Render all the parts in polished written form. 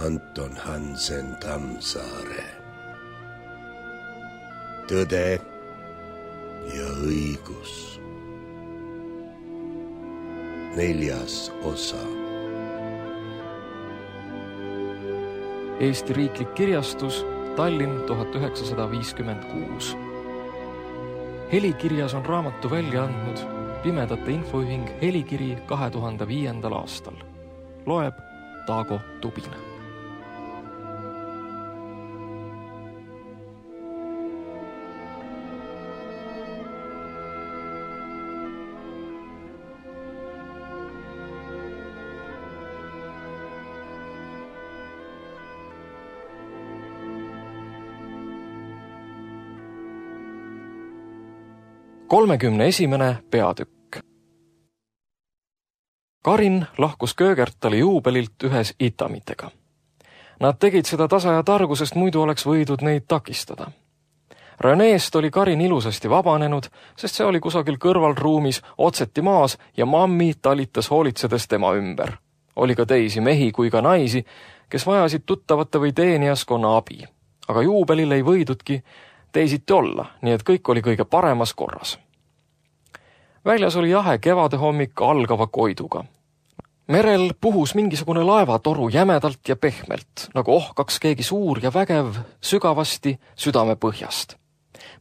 Anton Hansen Tammsaare. Tõde ja õigus. 4. osa. Eesti Riiklik Kirjastus, Tallinn 1956. Helikirjas on raamatu välja andnud Pimedate Infoühing Helikiri 2005. aastal. Loeb Taago Tubin. Kolmekümne peatükk. Karin lahkus Köögertali juubelilt ühes itamitega. Nad tegid seda tasa ja targu, sest muidu oleks võidud neid takistada. Reneest oli Karin ilusasti vabanenud, sest see oli kusagil kõrvalruumis otseti maas ja mammi talitas hoolitsedes tema ümber. Oli ka teisi mehi kui ka naisi, kes vajasid tuttavate või teenijaskonna abi. Aga juubelil ei võidudki teisiti olla, nii et kõik oli kõige paremas korras. Väljas oli jahe kevade hommik algava koiduga. Merel puhus mingisugune laevatoru jämedalt ja pehmelt, nagu ohkaks keegi suur ja vägev sügavasti südame põhjast.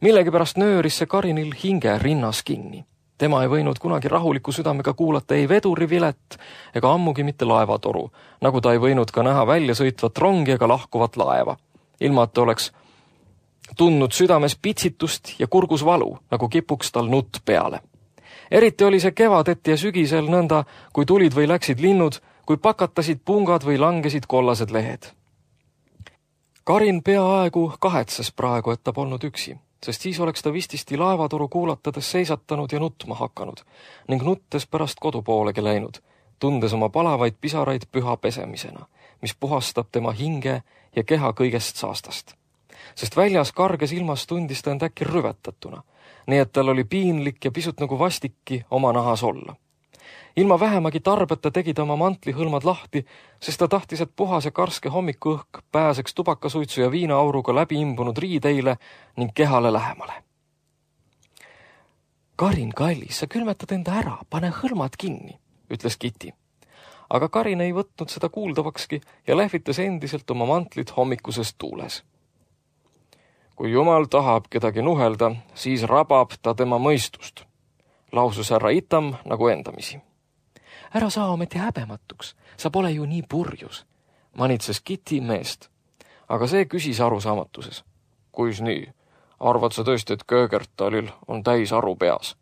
Millegipärast nööris see Karinil hinge rinnas kinni. Tema ei võinud kunagi rahuliku südamega kuulata ei vedurivilet ega ammugi mitte laevatoru, nagu ta ei võinud ka näha välja sõitvat rongi ega lahkuvat laeva. Ilma, et oleks tundnud südames pitsitust ja kurgus valu, nagu kipuks tal nutt peale. Eriti oli see kevadeti ja sügisel nõnda, kui tulid või läksid linnud, kui pakatasid pungad või langesid kollased lehed. Karin peaaegu kahetses praegu, et ta polnud üksi, sest siis oleks ta vististi laevatoru kuulatades seisatanud ja nutma hakanud ning nuttes pärast kodupoolegi läinud, tundes oma palavaid pisaraid püha pesemisena, mis puhastab tema hinge ja keha kõigest saastast. Sest väljas karges ilmas tundis ta end äkki rüvetatuna, nii et tal oli piinlik ja pisut nagu vastikki oma nahas olla. Ilma vähemagi tarbeta tegi ta oma mantlihõlmad lahti, sest ta tahtis, et puhas ja karske hommikuõhk pääseks tubakasuitsu ja viinaauruga läbi imbunud riideile ning kehale lähemale. Karin, kallis, sa külmetad enda ära, pane hõlmad kinni, ütles Kitty. Aga Karin ei võtnud seda kuuldavakski ja lehvitas endiselt oma mantlit hommikuses tuules. Kui Jumal tahab kedagi nuhelda, siis rabab ta tema mõistust, lausus härra Itam nagu endamisi. Ära saa ometi häbematuks, sa pole ju nii purjus, manitses Kitty meest, aga see küsis arusaamatuses. Kuis nii? Arvad sa tõesti, et Köögertalil on täis aru peas?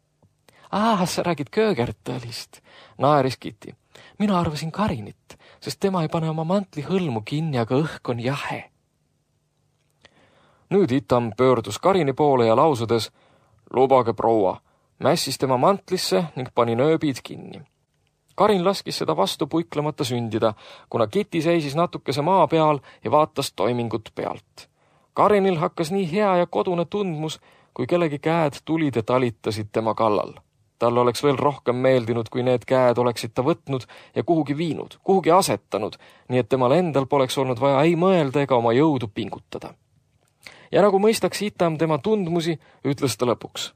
Sa räägid Köögertalist, naeris Kitty. Mina arvasin Karinit, sest tema ei pane oma mantli hõlmu kinni, aga õhk on jahe. Nüüd Itam pöördus Karini poole ja lausudes, lubage proua, mässis tema mantlisse ning pani nööbid kinni. Karin laskis seda vastu puiklemata sündida, kuna Kitty seisis natukese maa peal ja vaatas toimingut pealt. Karinil hakkas nii hea ja kodune tundmus, kui kellegi käed tulid ja talitasid tema kallal. Tal oleks veel rohkem meeldinud, kui need käed oleksid ta võtnud ja kuhugi viinud, kuhugi asetanud, nii et temal endal poleks olnud vaja ei mõelda ega oma jõudu pingutada. Ja nagu mõistaks Itam tema tundmusi, ütles ta lõpuks.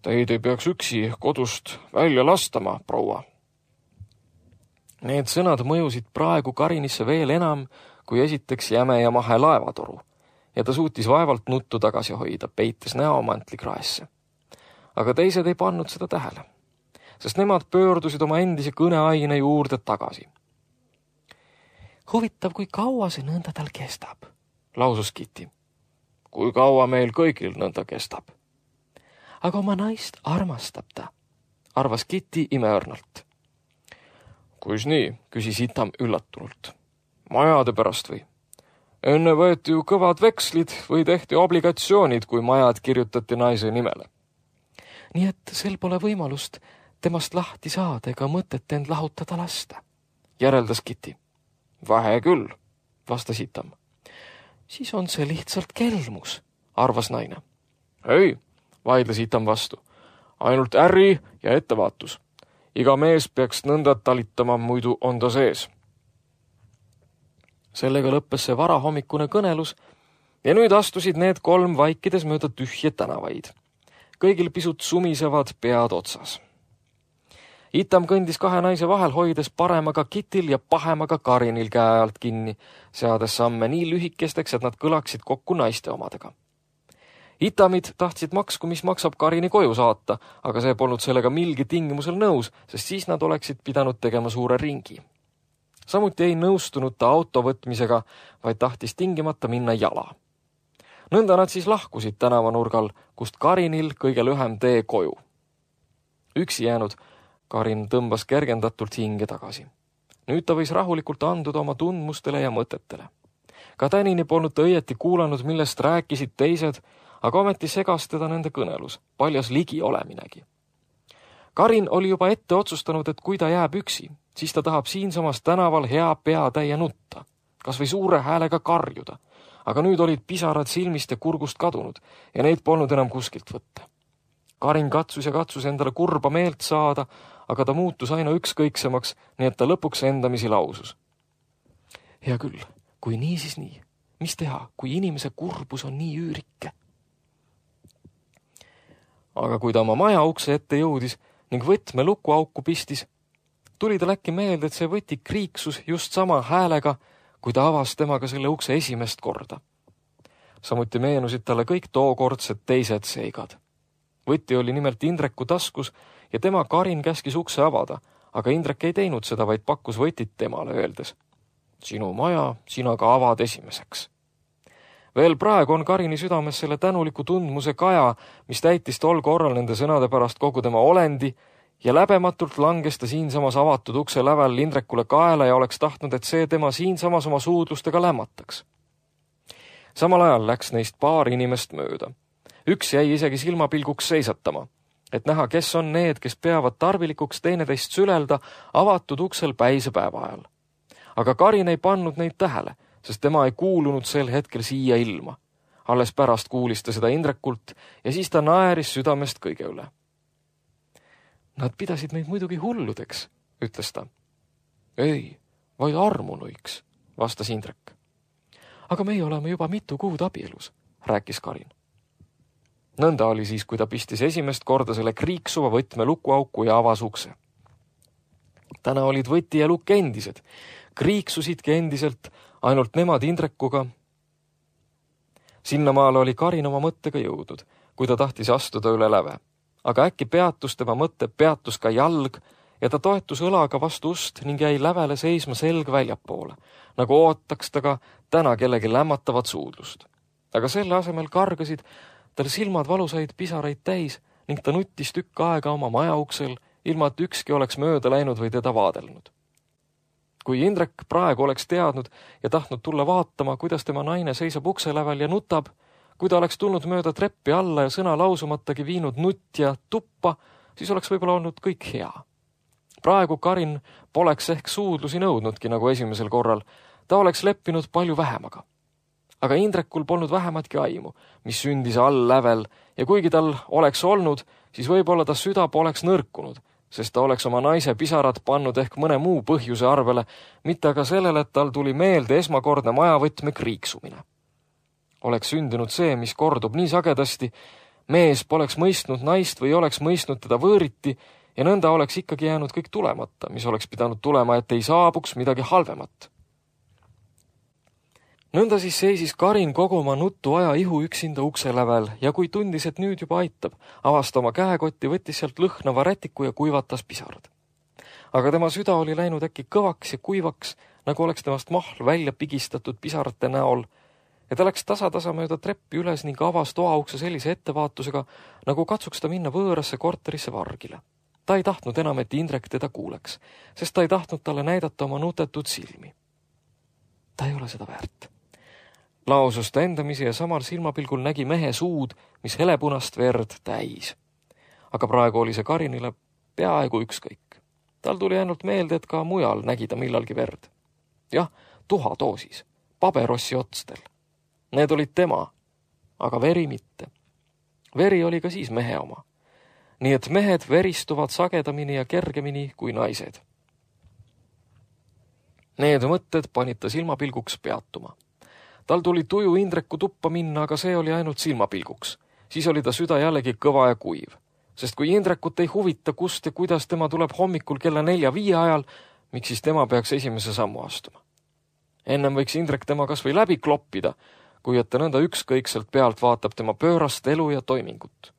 Teid ei peaks üksi kodust välja lastama, proua. Need sõnad mõjusid praegu Karinisse veel enam, kui esiteks jäme ja mahe laevatoru, ja ta suutis vaevalt nuttu tagasi hoida, peites näo mantlikraesse. Aga teised ei pannud seda tähele, sest nemad pöördusid oma endise kõneaine juurde tagasi. Huvitav, kui kaua see nõnda tal kestab, lausus Kitty. Kui kaua meil kõigil nõnda kestab? Aga oma naist armastab ta, arvas Kitty imeõrnalt. Kuis nii, küsis Itam üllatunult. Majade pärast või? Enne võeti ju kõvad vekslid või tehti obligatsioonid, kui majad kirjutati naise nimele. Nii et sel pole võimalust temast lahti saada ega mõtet end lahutada lasta, järeldas Kitty. Vähe küll, vastas Itam. Siis on see lihtsalt kelmus, arvas naine. Ei, vaidles Itam vastu. Ainult äri ja ettevaatus. Iga mees peaks nõnda talitama, muidu on ta sees. Sellega lõppes see varahommikune kõnelus ja nüüd astusid need kolm vaikides mööda tühje tänavaid. Kõigil pisut sumisevad pead otsas. Itam kõndis kahe naise vahel, hoides paremaga Kitil ja pahemaga Karinil käe alt kinni, seades samme nii lühikesteks, et nad kõlaksid kokku naiste omadega. Itamid tahtsid maksku, mis maksab Karini koju saata, aga see polnud sellega milgi tingimusel nõus, sest siis nad oleksid pidanud tegema suure ringi. Samuti ei nõustunud ta auto võtmisega, vaid tahtis tingimata minna jala. Nõnda nad siis lahkusid tänavanurgal, kust Karinil kõige lühem tee koju. Üksi jäänud Karin tõmbas kergendatult hinge tagasi. Nüüd ta võis rahulikult anduda oma tundmustele ja mõtetele. Ka tänini polnud ta õieti kuulanud, millest rääkisid teised, aga ometi segas teda nende kõnelus, paljas ligi oleminegi. Karin oli juba ette otsustanud, et kui ta jääb üksi, siis ta tahab siinsamas tänaval hea peatäie nutta, kas või suure häälega karjuda, aga nüüd olid pisarad silmist ja kurgust kadunud ja neid polnud enam kuskilt võtta. Karin katsus ja katsus endale kurba meelt saada, aga ta muutus aina ükskõiksemaks, nii et ta lõpuks endamisi lausus. Hea küll, kui nii, siis nii. Mis teha, kui inimese kurbus on nii üürike? Aga kui ta oma maja ukse ette jõudis ning võtme lukuauku pistis, tuli tal äkki meelde, et see võti kriiksus just sama häälega, kui ta avas temaga selle ukse esimest korda. Samuti meenusid talle kõik tookordsed teised seigad. Võti oli nimelt Indreku taskus ja tema Karin käskis ukse avada, aga Indrek ei teinud seda, vaid pakkus võtit temale öeldes. Sinu maja, sina ka avad esimeseks. Veel praegu on Karini südames selle tänuliku tundmuse kaja, mis täitis tol korral nende sõnade pärast kogu tema olendi ja läbematult langes ta siinsamas avatud ukse lävel Indrekule kaela ja oleks tahtnud, et see tema siinsamas oma suudlustega lämmataks. Samal ajal läks neist paar inimest mööda. Üks jäi isegi silmapilguks seisatama, et näha, kes on need, kes peavad tarvilikuks teineteist sülelda avatud uksel päise päeva ajal. Aga Karin ei pannud neid tähele, sest tema ei kuulunud sel hetkel siia ilma. Alles pärast kuulis ta seda Indrekult ja siis ta naeris südamest kõige üle. Nad pidasid meid muidugi hulludeks, ütles ta. Ei, vaid armunuiks, vastas Indrek. Aga meie oleme juba mitu kuud abielus, rääkis Karin. Nõnda oli siis, kui ta pistis esimest korda selle kriiksuva võtme lukuauku ja avas ukse. Täna olid võti ja lukk endised, kriiksusidki endiselt, ainult nemad Indrekuga. Sinnamaale oli Karin oma mõttega jõudnud, kui ta tahtis astuda üle läve. Aga äkki peatus tema mõtte, peatus ka jalg ja ta toetus õlaga vastu ust ning jäi lävele seisma selg väljapoole, nagu ootaks ta ka täna kellegi lämmatavat suudlust. Aga selle asemel kargasid tal silmad valusaid pisaraid täis ning ta nuttis tükk aega oma maja uksel, ilma et ükski oleks mööda läinud või teda vaadelnud. Kui Indrek praegu oleks teadnud ja tahtnud tulla vaatama, kuidas tema naine seisab ukse lävel ja nutab, kui ta oleks tulnud mööda treppi alla ja sõna lausumatagi viinud nutja tuppa, siis oleks võib-olla olnud kõik hea. Praegu Karin poleks ehk suudlusi nõudnudki nagu esimesel korral, ta oleks leppinud palju vähemaga. Aga Indrekul polnud vähematki aimu, mis sündis all lävel ja kuigi tal oleks olnud, siis võib-olla ta süda poleks nõrkunud, sest ta oleks oma naise pisarad pannud ehk mõne muu põhjuse arvele, mitte aga sellele, et tal tuli meelde esmakordne majavõtme kriiksumine. Oleks sündinud see, mis kordub nii sagedasti, mees poleks mõistnud naist või oleks mõistnud teda võõriti ja nõnda oleks ikkagi jäänud kõik tulemata, mis oleks pidanud tulema, et ei saabuks midagi halvemat. Nõnda siis seisis Karin kogu oma nutu aja ihu üksinda ukse lävel ja kui tundis, et nüüd juba aitab, avasta oma käekotti, võttis sealt lõhnava rätiku ja kuivatas pisarad. Aga tema süda oli läinud äkki kõvaks ja kuivaks, nagu oleks temast mahl välja pigistatud pisarate näol, ja ta läks tasa mööda treppi üles ning avas toaukse sellise ettevaatusega, nagu katsuks ta minna võõrasse korterisse vargile. Ta ei tahtnud enam, et Indrek teda kuuleks, sest ta ei tahtnud talle näidata oma nutetud silmi. Ta ei ole seda väärt. Lausus ta endamisi ja samal silmapilgul nägi mehe suud, mis helepunast verd täis. Aga praegu oli see Karinile peaaegu ükskõik. Tal tuli ainult meelde, et ka mujal nägi ta millalgi verd. Jah, tuhatoosis, paberossi otstel. Need olid tema, aga veri mitte. Veri oli ka siis mehe oma. Nii et mehed veristuvad sagedamini ja kergemini kui naised. Need mõtted panid ta silmapilguks peatuma. Tal tuli tuju Indreku tuppa minna, aga see oli ainult silmapilguks. Siis oli ta süda jällegi kõva ja kuiv. Sest kui Indrekut ei huvita, kust ja kuidas tema tuleb hommikul kella 4-5 ajal, miks siis tema peaks esimese sammu astuma? Ennem võiks Indrek tema kas või läbi kloppida, kui et ta nõnda ükskõikselt pealt vaatab tema pöörast elu ja toimingut.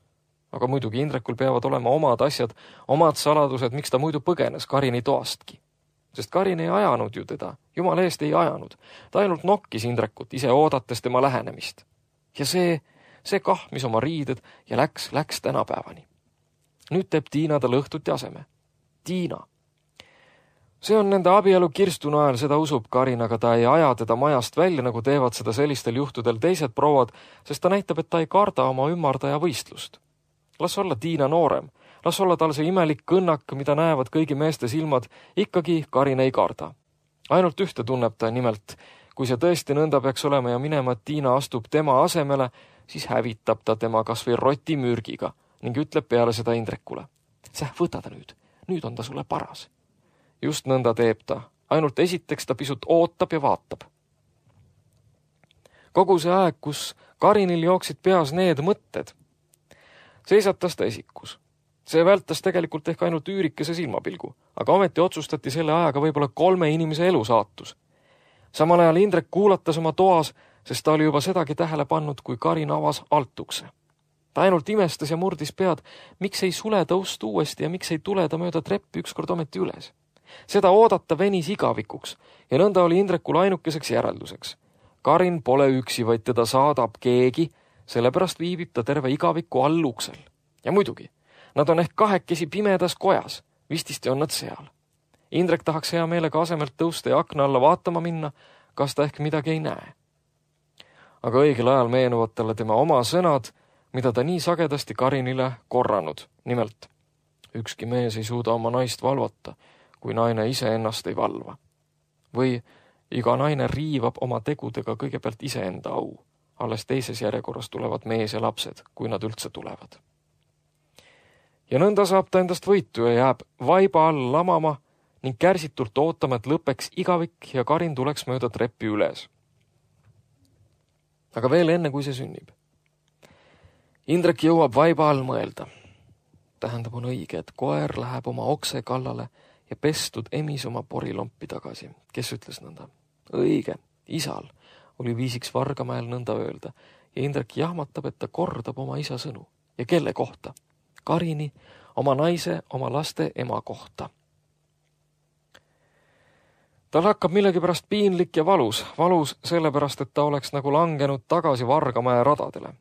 Aga muidugi Indrekul peavad olema omad asjad, omad saladused, miks ta muidu põgenes Karini toastki. Sest Karin ei ajanud ju teda, jumal eest ei ajanud. Ta ainult nokkis Indrekut, ise oodates tema lähenemist. Ja see kahmis oma riided ja läks tänapäevani. Nüüd teeb Tiina tal õhtuti aseme. Tiina. See on nende abielu kirstuna ajal, seda usub Karin, aga ta ei aja teda majast välja, nagu teevad seda sellistel juhtudel teised prouad, sest ta näitab, et ta ei karda oma ümmardaja võistlust. Las olla Tiina noorem, las olla tal see imelik kõnnak, mida näevad kõigi meeste silmad, ikkagi Karin ei karda. Ainult ühte tunneb ta nimelt, kui see tõesti nõnda peaks olema ja minema, et Tiina astub tema asemele, siis hävitab ta tema kas või roti mürgiga ning ütleb peale seda Indrekule. Säh, võta ta nüüd on ta sulle paras. Just nõnda teeb ta, ainult esiteks ta pisut ootab ja vaatab. Kogu see aeg, kus Karinil jooksid peas need mõtted, seisatas ta esikus. See vältas tegelikult ehk ainult üürikese silmapilgu, aga ometi otsustati selle ajaga võib-olla 3 inimese elu saatus. Samal ajal Indrek kuulatas oma toas, sest ta oli juba sedagi tähele pannud, kui Karin avas altukse. Ta ainult imestas ja murdis pead, miks ei sule tõust uuesti ja miks ei tule ta mööda treppi ükskord ometi üles. Seda oodata venis igavikuks ja nõnda oli Indrekul ainukeseks järelduseks. Karin pole üksi, vaid teda saadab keegi, sellepärast viibib ta terve igaviku all uksel. Ja muidugi, nad on ehk kahekesi pimedas kojas, vististi on nad seal. Indrek tahaks hea meelega asemelt tõusta ja akna alla vaatama minna, kas ta ehk midagi ei näe. Aga õigel ajal meenuvad talle tema oma sõnad, mida ta nii sagedasti Karinile korranud. Nimelt, ükski mees ei suuda oma naist valvata, kui naine ise ennast ei valva. Või iga naine riivab oma tegudega kõigepealt iseenda au. Alles teises järjekorras tulevad mees ja lapsed, kui nad üldse tulevad. Ja nõnda saab ta endast võitu ja jääb vaiba all lamama ning kärsitult ootama, et lõpeks igavik ja Karin tuleks mööda treppi üles. Aga veel enne, kui see sünnib. Indrek jõuab vaiba all mõelda. Tähendab, on õige, et koer läheb oma okse kallale ja pestud emis oma porilompi tagasi. Kes ütles nõnda? Õige, isal oli viisiks Vargamäel nõnda öelda ja Indrek jahmatab, et ta kordab oma isa sõnu. Ja kelle kohta? Karini, oma naise, oma laste ema kohta. Tal hakkab millegipärast piinlik ja valus sellepärast, et ta oleks nagu langenud tagasi Vargamäe radadele.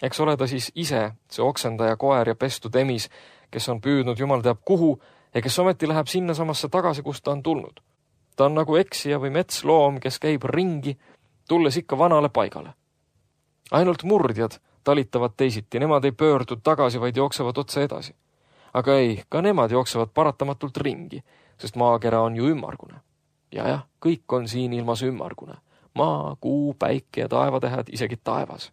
Eks ole ta siis ise, see oksendaja koer ja pestud emis, kes on püüdnud jumal teab kuhu ja kes ometi läheb sinna samasse tagasi, kust ta on tulnud. Ta on nagu eksija või metsloom, kes käib ringi, tulles ikka vanale paigale. Ainult murdjad talitavad teisiti, nemad ei pöördu tagasi, vaid jooksevad otse edasi. Aga ei, ka nemad jooksevad paratamatult ringi, sest maakera on ju ümmargune. Ja, kõik on siin ilmas ümmargune. Maa, kuu, päike ja taevatähed, isegi taevas.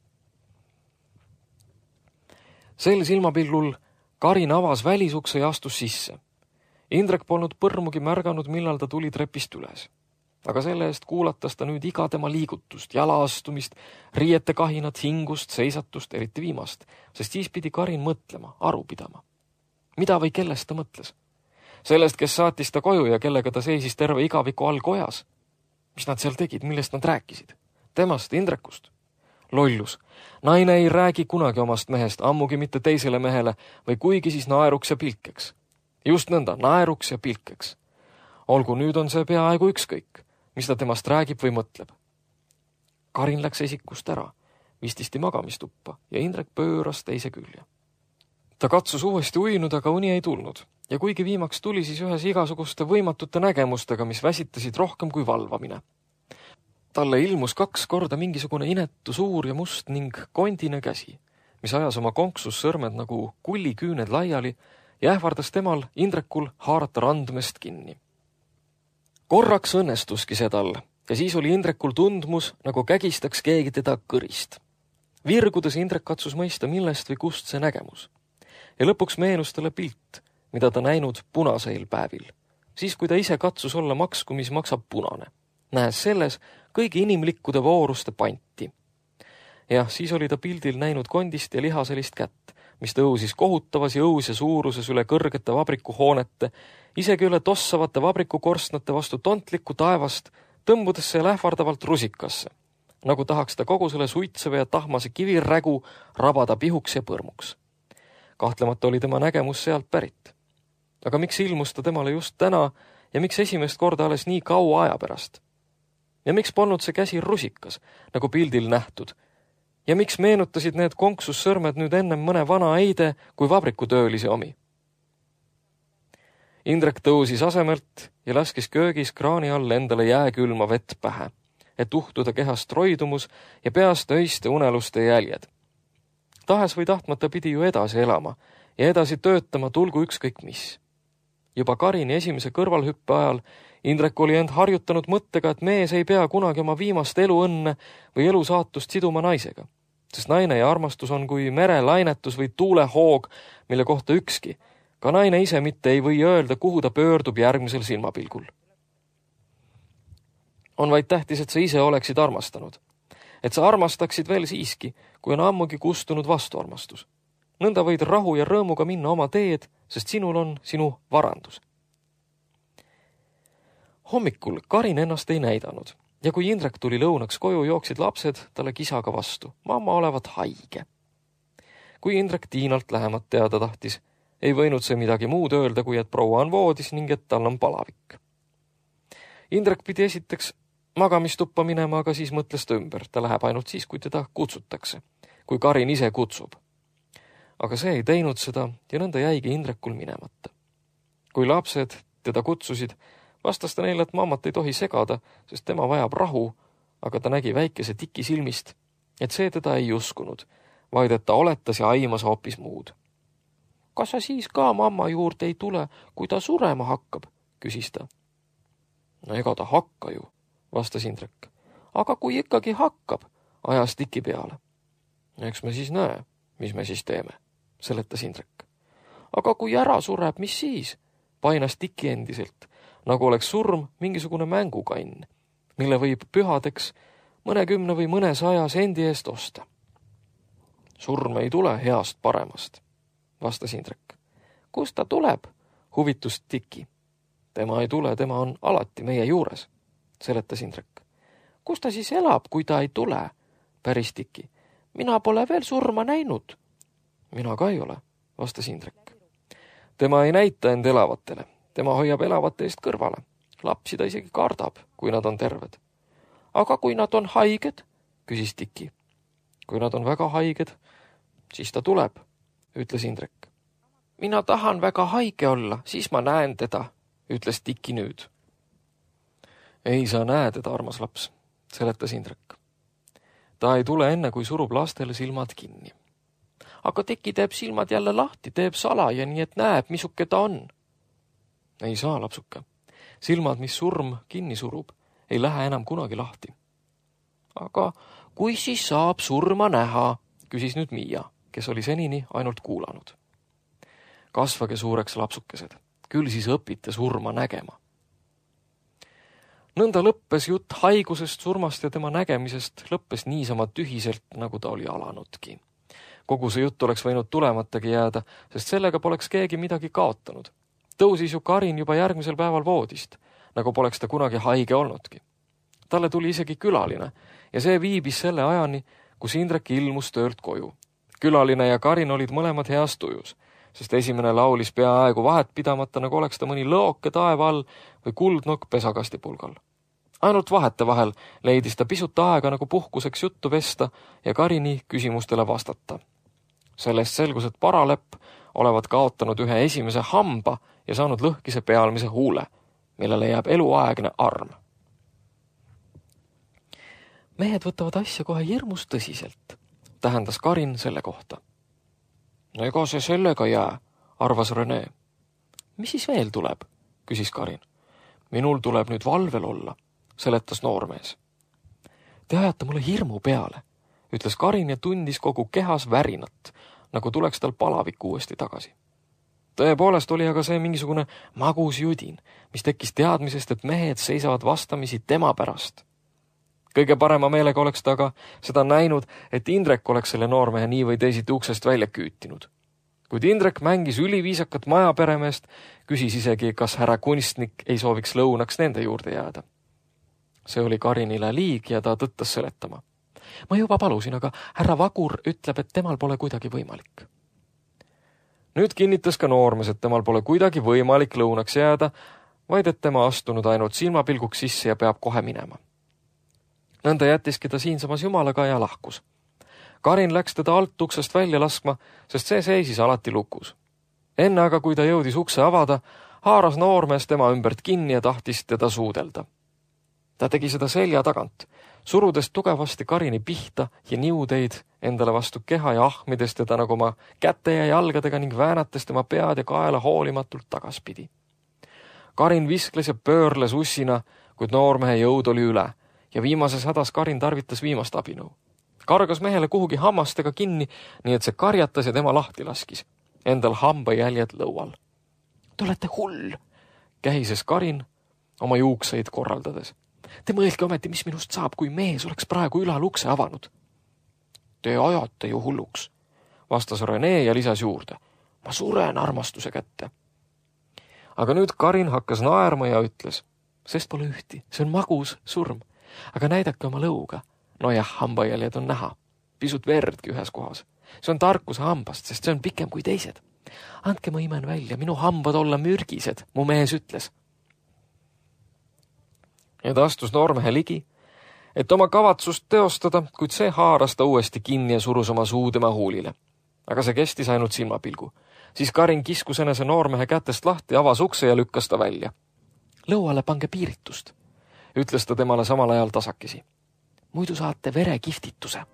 Sel silmapilgul Karin avas välisukse ja astus sisse. Indrek polnud põrmugi märganud, millal ta tuli trepist üles. Aga selle eest kuulatas ta nüüd iga tema liigutust, jalaastumist, riiete kahinat, hingust, seisatust, eriti viimast, sest siis pidi Karin mõtlema, aru pidama. Mida või kellest ta mõtles? Sellest, kes saatis ta koju ja kellega ta seisis terve igaviku all kojas. Mis nad seal tegid, millest nad rääkisid? Temast, Indrekust. Lollus. Naine ei räägi kunagi omast mehest, ammugi mitte teisele mehele, või kuigi siis naeruks ja pilkeks. Just nõnda, naeruks ja pilkeks. Olgu, nüüd on see peaaegu ükskõik, mis ta temast räägib või mõtleb. Karin läks esikust ära, vististi magamistuppa ja Indrek pööras teise külje. Ta katsus uuesti uinud, aga uni ei tulnud. Ja kuigi viimaks tuli siis ühes igasuguste võimatute nägemustega, mis väsitasid rohkem kui valvamine. Talle ilmus 2 korda mingisugune inetu suur ja must ning kondine käsi, mis ajas oma konksus sõrmed nagu kulliküüned laiali ja ähvardas temal, Indrekul, haarata randmest kinni. Korraks õnnestuski see tal ja siis oli Indrekul tundmus, nagu kägistaks keegi teda kõrist. Virgudes Indrek katsus mõista, millest või kust see nägemus. Ja lõpuks meenus talle pilt, mida ta näinud punaseil päevil. siis kui ta ise katsus olla maksku, mis maksab punane, nähes selles kõigi inimlikkude vooruste panti. Jah, siis oli ta pildil näinud kondist ja lihaselist kätt, mis tõusis kohutavas jõus ja suuruses üle kõrgete vabrikuhoonete, isegi üle tossavate vabrikukorstnate vastu tontlikku taevast, tõmbudes see lähvardavalt rusikasse, nagu tahaks ta kogu selle suitseva ja tahmase kivirägu rabada pihuks ja põrmuks. Kahtlemata oli tema nägemus sealt pärit. Aga miks ilmus ta temale just täna ja miks esimest korda alles nii kaua aja pärast? Ja miks polnud see käsi rusikas, nagu pildil nähtud? Ja miks meenutasid need konksussõrmed nüüd ennem mõne vana eide kui vabrikutöölise omi? Indrek tõusis asemelt ja laskis köögis kraani all endale jääkülma vett pähe, et uhtuda kehast roidumus ja peast öiste uneluste jäljed. Tahes või tahtmata pidi ju edasi elama ja edasi töötama tulgu ükskõik mis. Juba Karini esimese kõrvalhüppe ajal Indrek oli end harjutanud mõttega, et mees ei pea kunagi oma viimast eluõnne või elusaatust siduma naisega, sest naine ja armastus on kui merelainetus või tuulehoog, mille kohta ükski, ka naine ise mitte ei või öelda, kuhu ta pöördub järgmisel silmapilgul. On vaid tähtis, et sa ise oleksid armastanud, et sa armastaksid veel siiski, kui on ammugi kustunud vastuarmastus. Nõnda võid rahu ja rõõmuga minna oma teed, sest sinul on sinu varandus. Hommikul Karin ennast ei näidanud ja kui Indrek tuli lõunaks koju, jooksid lapsed talle kisaga vastu. Mamma olevat haige. Kui Indrek Tiinalt lähemat teada tahtis, ei võinud see midagi muud öelda, kui et proua on voodis ning et tal on palavik. Indrek pidi esiteks magamistuppa minema, aga siis mõtles ta ümber. Ta läheb ainult siis, kui teda kutsutakse, kui Karin ise kutsub. Aga see ei teinud seda ja nõnda jäigi Indrekul minemata. Kui lapsed teda kutsusid, vastas ta neile, et mammat ei tohi segada, sest tema vajab rahu, aga ta nägi väikese tiki silmist, et see teda ei uskunud, vaid et ta oletas ja aimas hoopis muud. Kas sa siis ka mamma juurde ei tule, kui ta surema hakkab, küsis ta. No ega ta hakka ju, vastas Indrek. Aga kui ikkagi hakkab, ajas tiki peale. Eks me siis näe, mis me siis teeme, seletas Indrek. Aga kui ära sureb, mis siis? Painas tiki endiselt, nagu oleks surm mingisugune mängukann, mille võib pühadeks 10 või 100 sendi eest osta. Surm ei tule heast paremast, vastas Indrek. Kust ta tuleb? Huvitus tiki. Tema ei tule, tema on alati meie juures, seletas Indrek. Kus ta siis elab, kui ta ei tule? Päris tiki. Mina pole veel surma näinud. Mina ka ei ole, vastas Indrek. Tema ei näita end elavatele. Tema hoiab elavate eest kõrvale. Lapsi ta isegi kardab, kui nad on terved. Aga kui nad on haiged, küsis tiki. Kui nad on väga haiged, siis ta tuleb, ütles Indrek. Mina tahan väga haige olla, siis ma näen teda, ütles tiki nüüd. Ei saa näe teda, armas laps, seletas Indrek. Ta ei tule enne, kui surub lastele silmad kinni. Aga tiki teeb silmad jälle lahti, teeb salaja, nii et näeb, misuke ta on. Ei saa, lapsuke. Silmad, mis surm kinni surub, ei lähe enam kunagi lahti. Aga kui siis saab surma näha, küsis nüüd Miia, kes oli senini ainult kuulanud. Kasvage suureks, lapsukesed, küll siis õpite surma nägema. Nõnda lõppes jutt haigusest, surmast ja tema nägemisest lõppes niisama tühiselt, nagu ta oli alanudki. Kogu see jutt oleks võinud tulematagi jääda, sest sellega poleks keegi midagi kaotanud. Tõusis ju Karin juba järgmisel päeval voodist, nagu poleks ta kunagi haige olnudki. Talle tuli isegi külaline ja see viibis selle ajani, kus Indrek ilmus töölt koju. Külaline ja Karin olid mõlemad heas tujus, sest esimene laulis peaaegu vahet pidamata, nagu oleks ta mõni lõoke taeva all või kuldnokk pesakasti pulgal. Ainult vahete vahel leidis ta pisut aega nagu puhkuseks juttu vesta ja Karini küsimustele vastata. Sellest selgus, et paralepp olevat kaotanud ühe esimese hamba ja saanud lõhkise pealmise huule, millele jääb eluaegne arm. Mehed võtavad asja kohe hirmus tõsiselt, tähendas Karin selle kohta. Ega see sellega jää, arvas Rene. Mis siis veel tuleb, küsis Karin. Minul tuleb nüüd valvel olla, seletas noormees. Te ajate mulle hirmu peale, ütles Karin ja tundis kogu kehas värinat, nagu tuleks tal palavik uuesti tagasi. Tõepoolest oli aga see mingisugune magus judin, mis tekkis teadmisest, et mehed seisavad vastamisi tema pärast. Kõige parema meelega oleks ta aga seda näinud, et Indrek oleks selle noormehe nii või teisiti uksest välja küütinud. Kuid Indrek mängis üliviisakat majaperemeest, küsis isegi, kas härra kunstnik ei sooviks lõunaks nende juurde jääda. See oli Karinile liig ja ta tõttas seletama. Ma juba palusin, aga härra Vagur ütleb, et temal pole kuidagi võimalik. Nüüd kinnitas ka noormees, et temal pole kuidagi võimalik lõunaks jääda, vaid et tema astunud ainult silmapilguks sisse ja peab kohe minema. Nõnda jättiski ta siinsamas jumalaga ja lahkus. Karin läks teda alt uksest välja laskma, sest see seisis alati lukus. Enne aga, kui ta jõudis ukse avada, haaras noormees tema ümbert kinni ja tahtis teda suudelda. Ta tegi seda selja tagant, surudes tugevasti Karini pihta ja niudeid endale vastu keha ja ahmides teda nagu oma käte ja jalgadega ning väänates tema pead ja kaela hoolimatult tagaspidi. Karin viskles ja pöörles ussina, kuid noormehe jõud oli üle ja viimases hädas Karin tarvitas viimast abinõu. Kargas mehele kuhugi hammastega kinni, nii et see karjatas ja tema lahti laskis. Endal hambajäljed lõual. Te olete hull, kähises Karin oma juukseid korraldades. Te mõelge ometi, mis minust saab, kui mees oleks praegu ülal ukse avanud. Te ajate ju hulluks, vastas Rene ja lisas juurde. Ma suren armastuse kätte. Aga nüüd Karin hakkas naerma ja ütles, sest pole ühti, see on magus surm, aga näidake oma lõuga. No jah, hambajäljed on näha, pisut verdki ühes kohas. See on tarkuse hambast, sest see on pikem kui teised. Andke ma imen välja, minu hambad olla mürgised, mu mees ütles. Ja ta astus noormehe ligi, et oma kavatsust teostada, kuid see haaras ta uuesti kinni ja surus oma suu tema huulile. Aga see kestis ainult silmapilgu. Siis Karin kiskus enese noormehe kätest lahti, avas ukse ja lükkas ta välja. Lõuale pange piiritust, ütles ta temale samal ajal tasakesi. Muidu saate verekiftituse.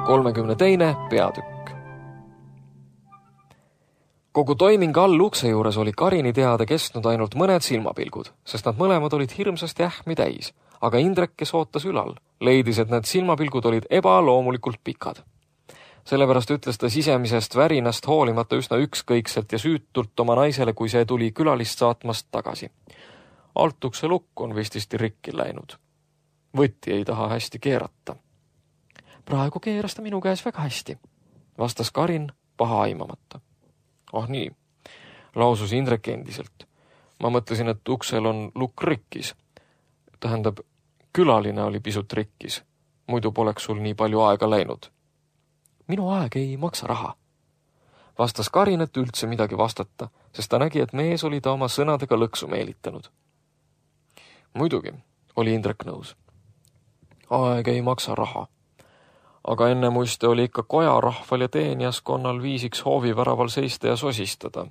Kolmekümne peatükk. Kogu toiming all ukse juures oli Karini teada kestnud ainult mõned silmapilgud, sest nad mõlemad olid hirmsasti ähmi täis, aga Indrek, kes ootas ülal, leidis, et need silmapilgud olid ebaloomulikult pikad. Sellepärast ütles ta sisemisest värinast hoolimata üsna ükskõikselt ja süütult oma naisele, kui see tuli külalist saatmast tagasi. Alt ukse lukk on vististi rikki läinud. Võtti ei taha hästi keerata. Praegu keeras ta minu käes väga hästi, vastas Karin paha aimamata. Oh nii, lausus Indrek endiselt. Ma mõtlesin, et uksel on lukk rikkis. Tähendab, külaline oli pisut rikkis. Muidu poleks sul nii palju aega läinud. Minu aeg ei maksa raha, vastas Karin, et üldse midagi vastata, sest ta nägi, et mees oli ta oma sõnadega lõksu meelitanud. Muidugi, oli Indrek nõus. Aeg ei maksa raha. Aga enne muiste oli ikka kojarahval ja teenijaskonnal viisiks hooviväraval seista ja sosistada.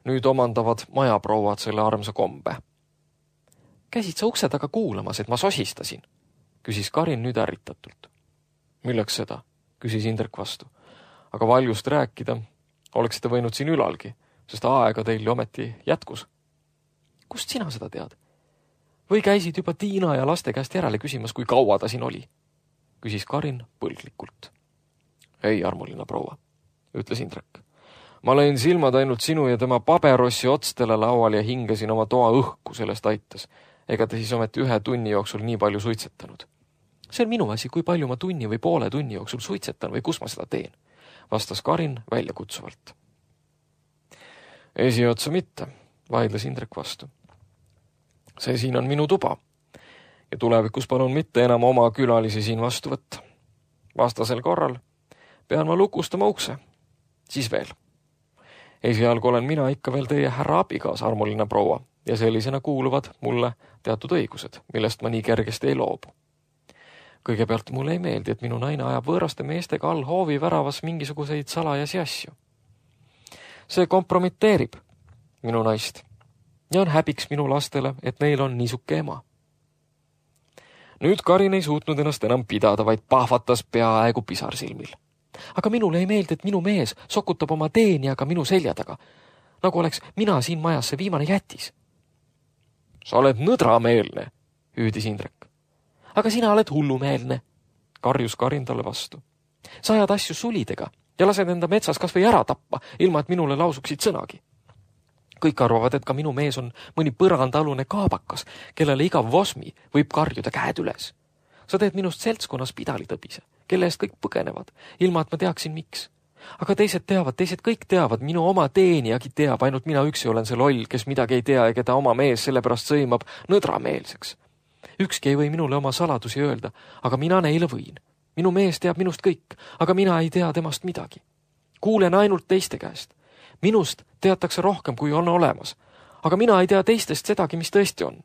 Nüüd omandavad majaprouad selle armsa kombe. Käisid sa ukse taga kuulamas, et ma sosistasin, küsis Karin nüüd ärritatult. Milleks seda, küsis Indrek vastu. Aga valjust rääkida oleksite võinud siin ülalgi, sest aega teil ometi jätkus. Kust sina seda tead? Või käisid juba Tiina ja laste käest järele küsimas, kui kaua ta siin oli? Küsis Karin põlglikult. Ei, armuline proua, ütles Indrek. Ma lõin silmad ainult sinu ja tema paberossi otstele laual ja hingasin oma toa õhku sellest aitas. Ega te siis ometi 1 tunni jooksul nii palju suitsetanud. See on minu asi, kui palju ma tunni või poole tunni jooksul suitsetan või kus ma seda teen, vastas Karin väljakutsuvalt. Esiotsa mitte, vaidles Indrek vastu. See siin on minu tuba ja tulevikus palun mitte enam oma külalisi siin vastu võtta. Vastasel korral pean ma lukustama ukse. Siis veel. Esialgu olen mina ikka veel teie härra abikaas, armuline proua, ja sellisena kuuluvad mulle teatud õigused, millest ma nii kergesti ei loobu. Kõigepealt mulle ei meeldi, et minu naine ajab võõraste meestega all hoovi väravas mingisuguseid salajasi asju. See kompromiteerib minu naist ja on häbiks minu lastele, et neil on niisuke ema. Nüüd Karin ei suutnud ennast enam pidada, vaid pahvatas peaaegu pisarsilmil. Aga minule ei meeldi, et minu mees sokutab oma teenijaga minu selja taga, nagu oleks mina siin majas see viimane jätis. Sa oled nõdrameelne, hüüdis Indrek. Aga sina oled hullumeelne, karjus Karin talle vastu. Sa ajad asju sulidega ja lased enda metsas kas või ära tappa, ilma et minule lausuksid sõnagi. Kõik arvavad, et ka minu mees on mõni põrandalune kaabakas, kellele iga vosmi võib karjuda käed üles. Sa teed minust seltskonnas pidalitõbise, kelle eest kõik põgenevad, ilma et ma teaksin miks. Aga teised kõik teavad, minu oma teenijagi teab, ainult mina üksi olen see loll, kes midagi ei tea ja keda oma mees sellepärast sõimab nõdrameelseks. Ükski ei või minule oma saladusi öelda, aga mina neile võin. Minu mees teab minust kõik, aga mina ei tea temast midagi. Kuulen ainult teiste käest. Minust teatakse rohkem, kui on olemas, aga mina ei tea teistest sedagi, mis tõesti on.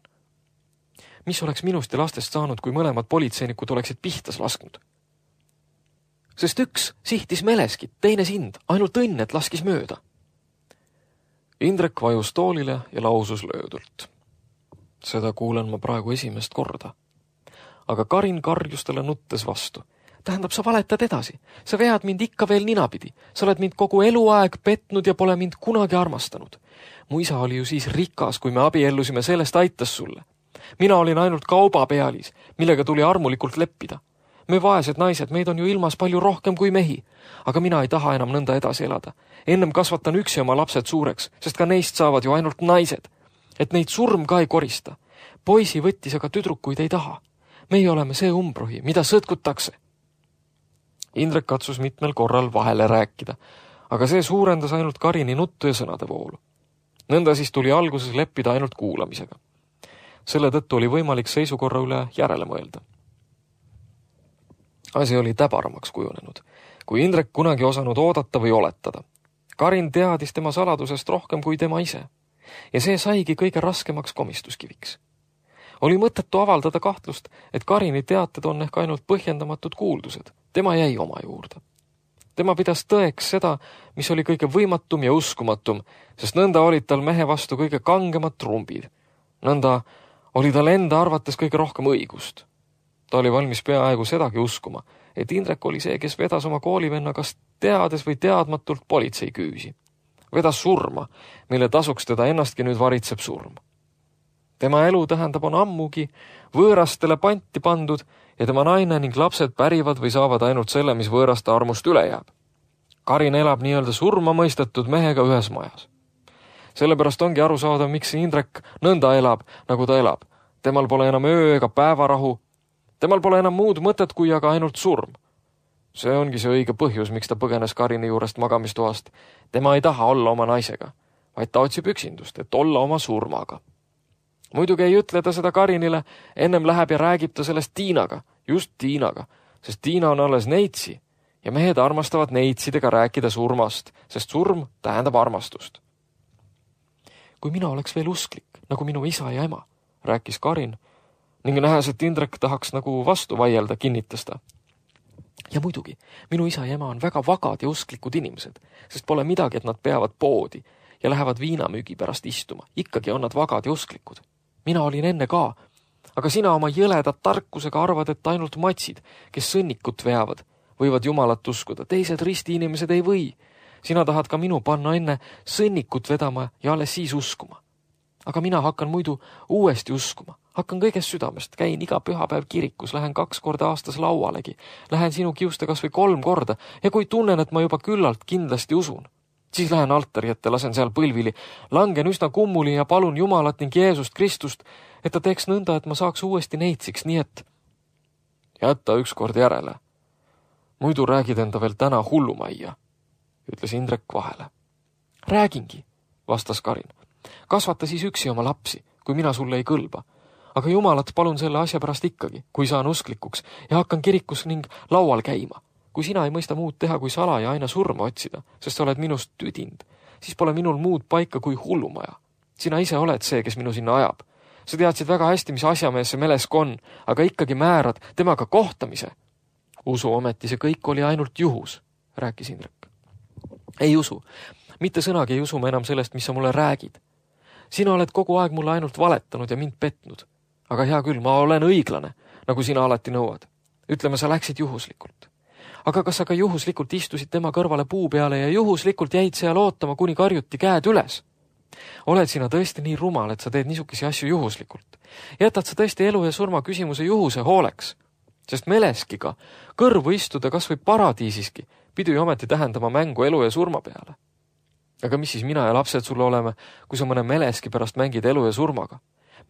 Mis oleks minust ja lastest saanud, kui mõlemad politseinikud oleksid pihtas lasknud? Sest üks sihtis meleskit, teine sind, ainult õnn, et laskis mööda. Indrek vajus toolile ja lausus löödult. Seda kuulen ma praegu esimest korda. Aga Karin karjus talle nuttes vastu. Tähendab, sa valetad edasi. Sa vead mind ikka veel ninapidi. Sa oled mind kogu eluaeg petnud ja pole mind kunagi armastanud. Mu isa oli ju siis rikas, kui me abiellusime, sellest aitas sulle. Mina olin ainult kaubapealis, millega tuli armulikult leppida. Me vaesed naised, meid on ju ilmas palju rohkem kui mehi. Aga mina ei taha enam nõnda edasi elada. Ennem kasvatan üksi oma lapsed suureks, sest ka neist saavad ju ainult naised. Et neid surm ka ei korista. Poisi võttis, aga tüdrukuid ei taha. Meie oleme see umbrohi, mida sõtkutakse. Indrek katsus mitmel korral vahele rääkida, aga see suurendas ainult Karini nuttu ja sõnade voolu. Nõnda siis tuli alguses leppida ainult kuulamisega. Selle tõttu oli võimalik seisukorra üle järele mõelda. Asi oli täbaramaks kujunenud, kui Indrek kunagi osanud oodata või oletada. Karin teadis tema saladusest rohkem kui tema ise, ja see saigi kõige raskemaks komistuskiviks. Oli mõttetu avaldada kahtlust, et Karini teated on ehk ainult põhjendamatud kuuldused. Tema jäi oma juurde. Tema pidas tõeks seda, mis oli kõige võimatum ja uskumatum, sest nõnda olid tal mehe vastu kõige kangemad trumbid. Nõnda oli tal enda arvates kõige rohkem õigust. Ta oli valmis peaaegu sedagi uskuma, et Indrek oli see, kes vedas oma koolivenna kas teades või teadmatult politsei küüsi. Vedas surma, mille tasuks teda ennastki nüüd varitseb surm. Tema elu tähendab on ammugi võõrastele panti pandud ja tema naine ning lapsed pärivad või saavad ainult selle, mis võõraste armust üle jääb. Karin elab nii-öelda surma mõistetud mehega ühes majas. Sellepärast ongi aru saada, miks Indrek nõnda elab, nagu ta elab. Temal pole enam öö ega päevarahu. Temal pole enam muud mõtet kui aga ainult surm. See ongi see õige põhjus, miks ta põgenes Karini juurest magamistoast. Tema ei taha olla oma naisega, vaid ta otsib üksindust, et olla oma surmaga. Muidugi ei ütle ta seda Karinile, ennem läheb ja räägib ta sellest Tiinaga, just Tiinaga, sest Tiina on alles neitsi ja mehed armastavad neitsidega rääkida surmast, sest surm tähendab armastust. Kui mina oleks veel usklik, nagu minu isa ja ema, rääkis Karin, ning nähes, et Indrek tahaks nagu vastu vaielda, kinnitas ta. Ja muidugi, minu isa ja ema on väga vagad ja usklikud inimesed, sest pole midagi, et nad peavad poodi ja lähevad viinamüügi pärast istuma. Ikkagi on nad vagad ja usklikud. Mina olin enne ka, aga sina oma jõledat tarkusega arvad, et ainult matsid, kes sõnnikut veavad, võivad Jumalat uskuda. Teised risti inimesed ei või. Sina tahad ka minu panna enne sõnnikut vedama ja alles siis uskuma. Aga mina hakkan muidu uuesti uskuma. Hakkan kõigest südamest, käin iga pühapäev kirikus, lähen 2 korda aastas laualegi, lähen sinu kiuste kas või 3 korda ja kui tunnen, et ma juba küllalt kindlasti usun, siis lähen altari ette, lasen seal põlvili, langen üsna kummuli ja palun Jumalat ning Jeesust Kristust, et ta teeks nõnda, et ma saaks uuesti neitsiks, nii et jätta ükskord järele. Muidu räägid enda veel täna hullumajja, ütles Indrek vahele. Räägingi, vastas Karin. Kasvata siis üksi oma lapsi, kui mina sulle ei kõlba. Aga Jumalat palun selle asja pärast ikkagi, kui saan usklikuks ja hakkan kirikus ning laual käima. Kui sina ei mõista muud teha kui sala ja aina surma otsida, sest sa oled minust tüdind, siis pole minul muud paika kui hullumaja. Sina ise oled see, kes minu sinna ajab. Sa teadsid väga hästi, mis asjamees see Melesk on, aga ikkagi määrad temaga kohtamise. Usu ometi see kõik oli ainult juhus, rääkis Indrek. Ei usu. Mitte sõnagi ei usu ma enam sellest, mis sa mulle räägid. Sina oled kogu aeg mulle ainult valetanud ja mind petnud. Aga hea küll, ma olen õiglane, nagu sina alati nõuad. Ütleme, sa läksid juhuslikult. Aga kas sa ka juhuslikult istusid tema kõrvale puu peale ja juhuslikult jäid seal ootama, kuni karjuti käed üles? Oled sina tõesti nii rumal, et sa teed niisugisi asju juhuslikult? Jätad sa tõesti elu ja surma küsimuse juhuse hooleks? Sest Meleskiga kõrvu istuda kas või paradiisiski pidi ometi tähendama mängu elu ja surma peale. Aga mis siis mina ja lapsed sulle oleme, kui sa mõne Meleski pärast mängid elu ja surmaga?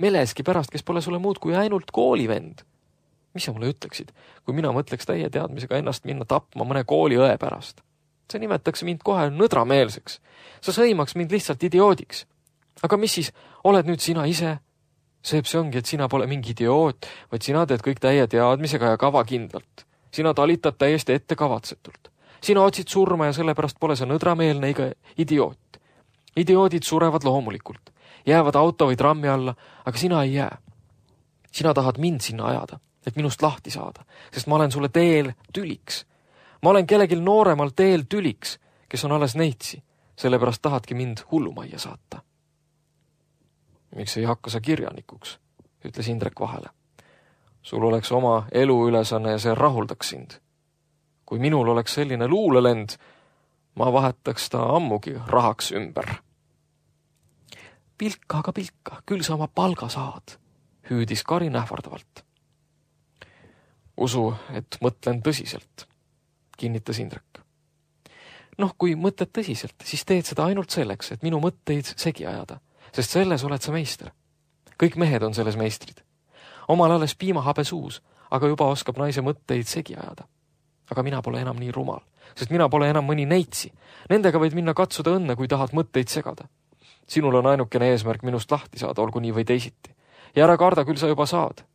Meleski pärast, kes pole sulle muud kui ainult koolivend. Mis sa mulle ütleksid, kui mina mõtleks täie teadmisega ennast minna tapma mõne kooliõe pärast? See nimetaks mind kohe nõdrameelseks. Sa sõimaks mind lihtsalt idioodiks. Aga mis siis, oled nüüd sina ise? See ongi, et sina pole mingi idioot, vaid sina teed kõik täie teadmisega ja kavakindlalt. Sina talitad täiesti ettekavatsetult. Sina otsid surma ja sellepärast pole sa nõdrameelne ega idioot. Idioodid surevad loomulikult. Jäävad auto või trammi alla, aga sina ei jää. Sina tahad mind sinna ajada, et minust lahti saada, sest ma olen sulle teel tüliks. Ma olen kellelgi nooremal teel tüliks, kes on alles neitsi, sellepärast tahadki mind hullumajja saata. Miks ei hakka sa kirjanikuks, ütles Indrek vahele. Sul oleks oma eluülesanne ja see rahuldaks sind. Kui minul oleks selline luulelend, ma vahetaks ta ammugi rahaks ümber. Pilka, aga pilka, küll sa oma palga saad, hüüdis Karin ähvardavalt. Usu, et mõtlen tõsiselt, kinnitas Indrek. Kui mõtled tõsiselt, siis teed seda ainult selleks, et minu mõtteid segi ajada, sest selles oled sa meister. Kõik mehed on selles meistrid. Omal alles piimahabe suus, aga juba oskab naise mõtteid segi ajada. Aga mina pole enam nii rumal, sest mina pole enam mõni neitsi. Nendega võid minna katsuda õnne, kui tahad mõtteid segada. Sinul on ainukene eesmärk minust lahti saada, olgu nii või teisiti. Ja ära karda, küll sa juba saad.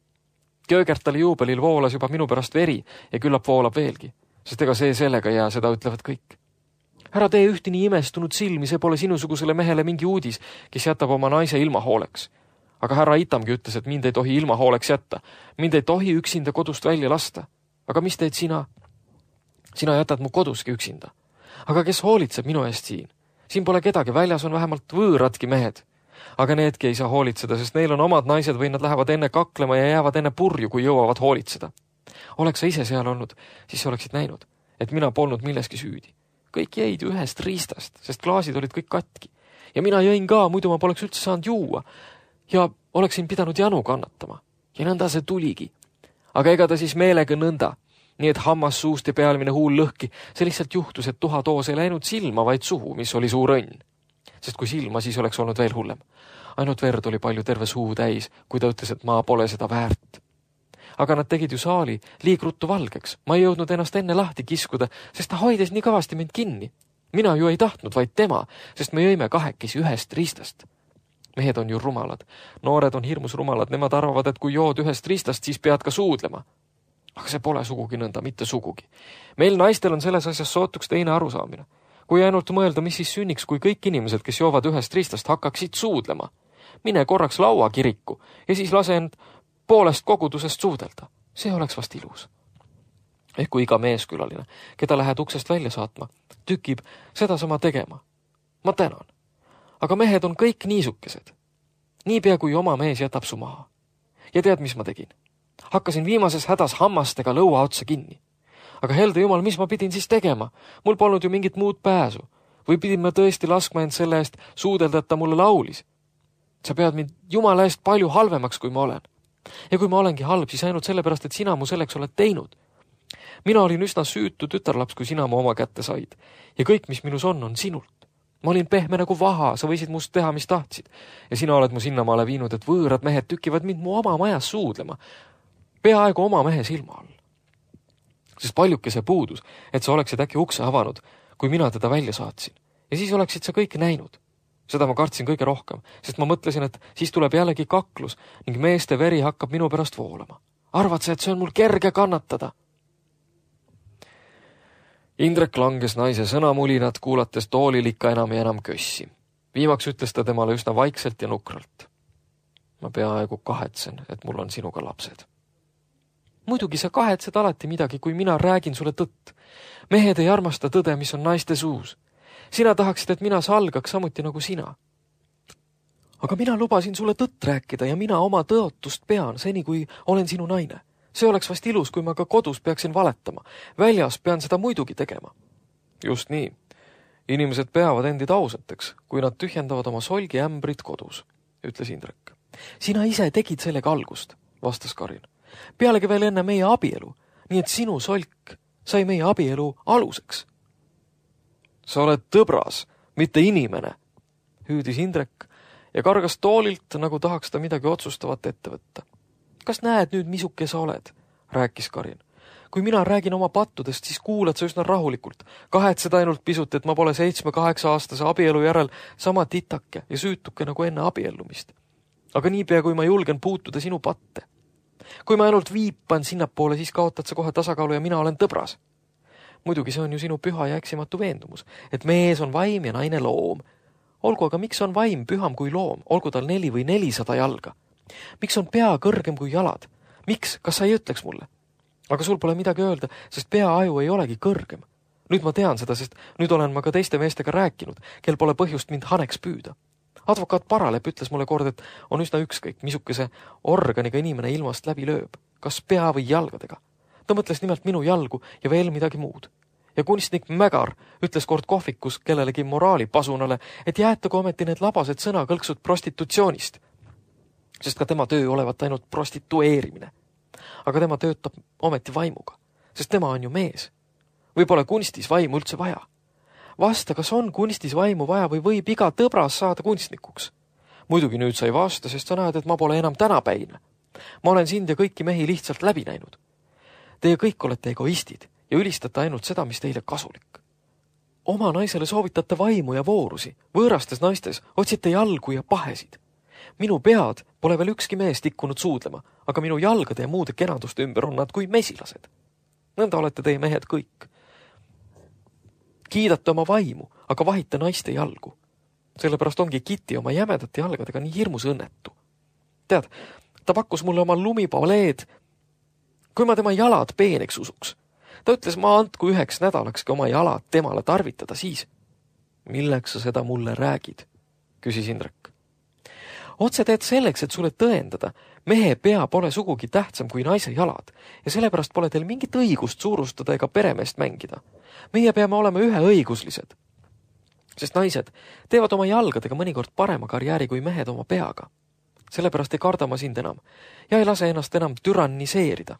Köögertali juubelil voolas juba minu pärast veri ja küllap voolab veelgi, sest ega see sellega jää, seda ütlevad kõik. Ära tee ühti nii imestunud silmi, see pole sinusugusele mehele mingi uudis, kes jätab oma naise ilma hooleks. Aga härra Itamgi ütles, et mind ei tohi ilma hooleks jätta. Mind ei tohi üksinda kodust välja lasta. Aga mis teed sina? Sina jätad mu koduski üksinda. Aga kes hoolitseb minu eest siin? Siin pole kedagi, väljas on vähemalt võõradki mehed. Aga needki ei saa hoolitseda, sest neil on omad naised või nad lähevad enne kaklema ja jäävad enne purju, kui jõuavad hoolitseda. Oleks sa ise seal olnud, siis oleksid näinud, et mina polnud milleski süüdi. Kõik jäid ühest riistast, sest klaasid olid kõik katki. Ja mina jõin ka, muidu ma poleks üldse saanud juua. Ja oleksin pidanud janu kannatama. Ja nõnda see tuligi. Aga ega ta siis meelega nõnda. Nii et hammas suust ja pealmine huul lõhki. See lihtsalt juhtus, et tuhatoos ei läinud silma, vaid suhu, mis oli suur õnn. Sest kui silma, siis oleks olnud veel hullem. Ainult verd oli palju terve suu täis, kui ta ütles, et ma pole seda väärt. Aga nad tegid ju saali liigruttu valgeks. Ma ei jõudnud ennast enne lahti kiskuda, sest ta hoides nii kõvasti mind kinni. Mina ju ei tahtnud, vaid tema, sest me jõime kahekesi ühest riistast. Mehed on ju rumalad. Noored on hirmus rumalad. Nemad arvavad, et kui jood ühest riistast, siis pead ka suudlema. Aga see pole sugugi nõnda, mitte sugugi. Meil naistel on selles asjas sootuks teine arusaamine. Kui ainult mõelda, mis siis sünniks, kui kõik inimesed, kes joovad ühest riistast, hakkaksid suudlema. Mine korraks laua kiriku ja siis lase end poolest kogudusest suudelda. See oleks vast ilus. Ehk kui iga meeskülaline, keda lähed uksest välja saatma, tükib seda sama tegema. Ma tänan. Aga mehed on kõik niisukesed. Niipea kui oma mees jätab su maha. Ja tead, mis ma tegin? Hakkasin viimases hädas hammastega lõua otsa kinni. Aga helde jumal, mis ma pidin siis tegema? Mul polnud ju mingit muud pääsu. Või pidin ma tõesti laskma end selle eest suudelda, et ta mulle laulis? Sa pead mind jumala eest palju halvemaks, kui ma olen. Ja kui ma olengi halb, siis ainult sellepärast, et sina mu selleks oled teinud. Mina olin üsna süütu tütarlaps, kui sina mu oma kätte said. Ja kõik, mis minus on sinult. Ma olin pehme nagu vaha, sa võisid must teha, mis tahtsid. Ja sina oled mu sinnamaale viinud, et võõrad mehed tükivad mind mu oma majas suudlema. Peaaegu oma mehe silma all. Sest paljuke see puudus, et sa oleksid äkki ukse avanud, kui mina teda välja saatsin. Ja siis oleksid sa kõike näinud. Seda ma kartsin kõige rohkem, sest ma mõtlesin, et siis tuleb jällegi kaklus ning meeste veri hakkab minu pärast voolama. Arvad sa, et see on mul kerge kannatada? Indrek langes naise sõnamulinat, kuulates toolil ikka enam ja enam kössi. Viimaks ütles ta temale üsna vaikselt ja nukralt. Ma peaaegu kahetsen, et mul on sinuga lapsed. Muidugi sa kahetsed alati midagi, kui mina räägin sulle tõtt. Mehed ei armasta tõde, mis on naiste suus. Sina tahaksid, et mina salgaks samuti nagu sina. Aga mina lubasin sulle tõtt rääkida ja mina oma tõotust pean, seni kui olen sinu naine. See oleks vast ilus, kui ma ka kodus peaksin valetama. Väljas pean seda muidugi tegema. Just nii. Inimesed peavad endid ausateks, kui nad tühjendavad oma solgiämbrit kodus, ütles Indrek. Sina ise tegid sellega algust, vastas Karin. Pealegi veel enne meie abielu, nii et sinu solk sai meie abielu aluseks. Sa oled tõbras, mitte inimene, hüüdis Indrek ja kargas toolilt, nagu tahaks ta midagi otsustavat ette võtta. Kas näed nüüd, misuke sa oled, rääkis Karin. Kui mina räägin oma pattudest, siis kuulad sa üsna rahulikult. Kahetsed ainult pisut, et ma pole 7-8 aastase abielu järel sama titake ja süütuke nagu enne abiellumist. Aga niipea, kui ma julgen puutuda sinu patte. Kui ma ainult viipan sinnapoole, siis kaotad sa kohe tasakaalu ja mina olen tõbras. Muidugi see on ju sinu püha ja eksimatu veendumus, et mees on vaim ja naine loom. Olgu, aga miks on vaim püham kui loom, olgu tal 4 või 400 jalga? Miks on pea kõrgem kui jalad? Miks, kas sa ei ütleks mulle? Aga sul pole midagi öelda, sest peaaju ei olegi kõrgem. Nüüd ma tean seda, sest nüüd olen ma ka teiste meestega rääkinud, kel pole põhjust mind haneks püüda. Advokaat Paralep ütles mulle kord, et on üsna ükskõik, misukese organiga inimene ilmast läbi lööb, kas pea või jalgadega. Ta mõtles nimelt minu jalgu ja veel midagi muud. Ja kunstnik Mägar ütles kord kohvikus kellelegi moraalipasunale, et jäetagu ometi need labased sõnakõlksud prostitutsioonist, sest ka tema töö olevat ainult prostitueerimine. Aga tema töötab ometi vaimuga, sest tema on ju mees. Või pole kunstis vaimu üldse vaja? Vasta, kas on kunstis vaimu vaja või võib iga tõbras saada kunstnikuks? Muidugi nüüd sa ei vasta, sest sa näed, et ma pole enam tänapäine. Ma olen sind ja kõiki mehi lihtsalt läbi näinud. Teie kõik olete egoistid ja ülistate ainult seda, mis teile kasulik. Oma naisele soovitate vaimu ja voorusi, võõrastes naistes otsite jalgu ja pahesid. Minu pead pole veel ükski mees tikkunud suudlema, aga minu jalgade ja muude kenaduste ümber on nad kui mesilased. Nõnda olete teie mehed kõik. Kiidate oma vaimu, aga vahite naiste jalgu. Sellepärast ongi Kitty oma jämedate jalgadega nii hirmus õnnetu. Tead, ta pakkus mulle oma lumipaleed, kui ma tema jalad peeneks usuks. Ta ütles, ma andku 1 nädalakski oma jalad temale tarvitada siis. Milleks sa seda mulle räägid? Küsis Indrek. Otse teed selleks, et sulle tõendada, mehe pea pole sugugi tähtsam kui naise jalad ja sellepärast pole teil mingit õigust suurustada ega peremeest mängida. Meie peame olema üheõiguslised, sest naised teevad oma jalgadega mõnikord parema karjääri kui mehed oma peaga. Sellepärast ei karda ma sind enam ja ei lase ennast enam türanniseerida,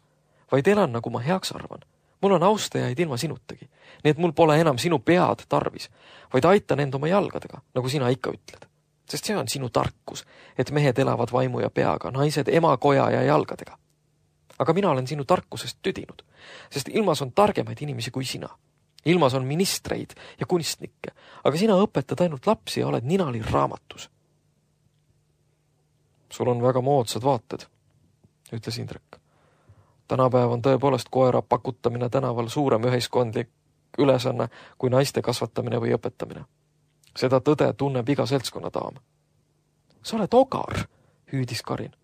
vaid elan, nagu ma heaks arvan. Mul on austajaid ilma sinutagi, nii et mul pole enam sinu pead tarvis, vaid aitan end oma jalgadega, nagu sina ikka ütled. Sest see on sinu tarkus, et mehed elavad vaimu ja peaga, naised emakoja ja jalgadega. Aga mina olen sinu tarkusest tüdinud, sest ilmas on targemaid inimesi kui sina. Ilmas on ministreid ja kunstnikke, aga sina õpetad ainult lapsi ja oled ninali raamatus. Sul on väga moodsad vaated, ütles Indrek. Tänapäev on tõepoolest koera pakutamine tänaval suurem ühiskondlik ülesanne kui naiste kasvatamine või õpetamine. Seda tõde tunneb iga seltskonnadaam. Sa oled ogar, hüüdis Karin.